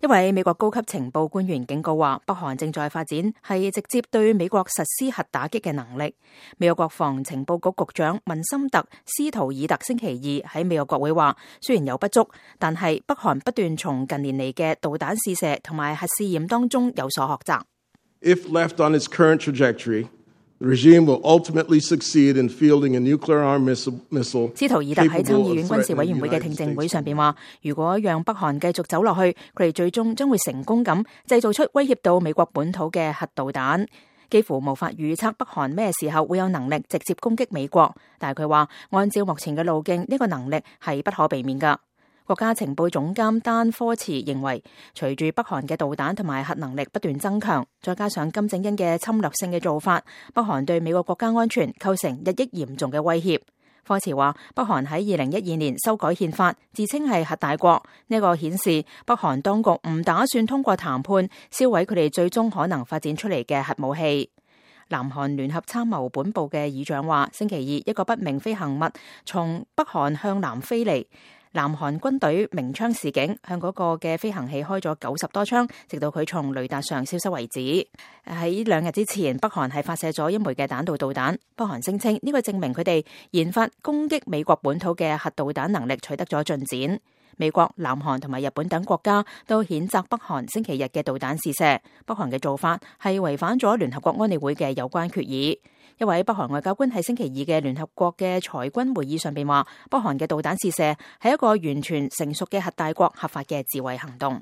一位美國高級情報官員警告話，北韓正在發展係直接對美國實施核打擊嘅能力。美國國防情報局局長文森特·斯圖爾特星期二喺美國國會話，雖然有不足，但係北韓不斷從近年嚟嘅導彈試射同埋核試驗當中有所學習。If left on its current trajectory, the regime will ultimately succeed in fielding a nuclear armed missile. 斯圖爾特喺參議院軍事委員會嘅聽證會上邊話，如果讓北韓繼續走落去，佢哋最終將會成功咁製造出威脅到美國本土嘅核導彈。幾乎無法預測北韓咩時候會有能力直接攻擊美國，但係佢話按照目前嘅路徑，呢個能力係不可避免噶。國家情報總監丹科茨認為，隨住北韓嘅導彈同埋核能力不斷增強，再加上金正恩嘅侵略性嘅做法，北韓對美國國家安全構成日益嚴重嘅威脅。科茨話，北韓喺2012年修改憲法，自稱係核大國，呢個顯示北韓當局唔打算通過談判銷毀佢哋最終可能發展出嚟嘅核武器。南韓聯合參謀本部嘅議長話，星期二一個不明飛行物從北韓向南飛嚟。南韓軍隊鳴槍示警，向嗰個嘅飛行器開咗90多槍，直到佢從雷達上消失為止。喺2日之前，北韓係發射咗一枚嘅彈道導彈。北韓聲稱呢個證明佢哋研發攻擊美國本土嘅核導彈能力取得咗進展。美國、南韓同埋日本等國家都譴責北韓星期日嘅導彈試射。北韓嘅做法係違反咗聯合國安理會嘅有關決議。一位北韓外交官喺星期二嘅聯合國嘅裁軍會議上邊話，北韓嘅導彈試射係一個完全成熟嘅核大國合法嘅自衛行動。